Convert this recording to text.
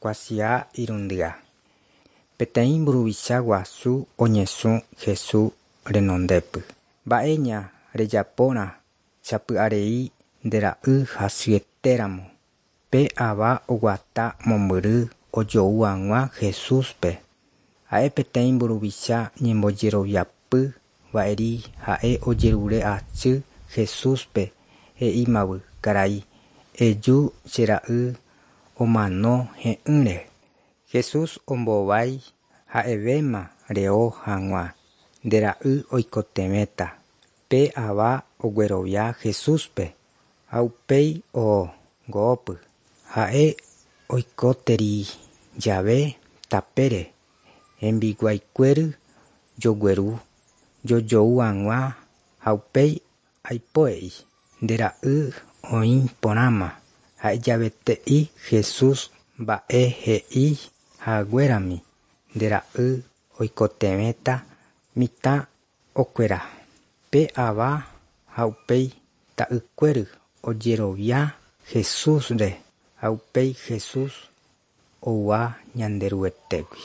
Kuatia irundyha. Peteĩ mburuvicha guasu oñesũ Jesús renondépy. Mba'éña rejapórã sapy'arei nde ra'y hasyetéramo. Pe ava oguata mombyry ojou haguã Jesúspe. Ha'e peteĩ mburuvicha ñembojeroviapy va'eri ha'e ojerure asy Jesúspe he'ímavy karai, eju che ra'y omano he'ỹre. Jesús ombohovái ha'evéma reho haguã, nde ra'y oikotevẽta. Pe ava oguerovia Jesúspe ha upéi oho go'ópy. Ha'e oikoteri jave tapére hembiguaikuéry jogueru jojou hag̃ua ha upéi aipo he'i nde ra'y oĩ porãma ha'ejavete'i Jesús mba'e he'i haguérami nde ra'y oikotevẽta mitã okuera. Pe ava ha upéi ta'ykuéry ojerovia Jesúsre ha upéi Jesús oúva Ñanderuetégui.